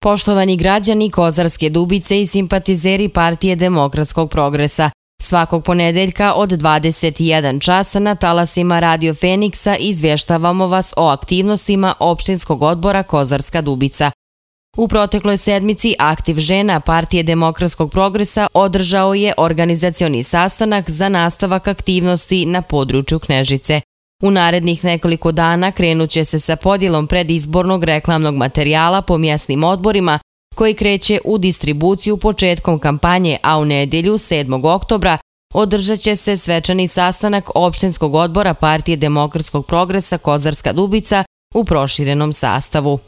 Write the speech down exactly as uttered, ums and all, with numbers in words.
Poštovani građani Kozarske Dubice i simpatizeri Partije demokratskog progresa, svakog ponedeljka od dvadeset jedan časa na talasima Radio Feniksa izvještavamo vas o aktivnostima opštinskog odbora Kozarska Dubica. U protekloj sedmici Aktiv žena Partije demokratskog progresa održao je organizacioni sastanak za nastavak aktivnosti na području Knežice. U narednih nekoliko dana krenut će se sa podjelom predizbornog reklamnog materijala po mjesnim odborima koji kreće u distribuciju početkom kampanje, a u nedjelju sedmog oktobra održat će se svečani sastanak opštinskog odbora Partije demokratskog progresa Kozarska Dubica u proširenom sastavu.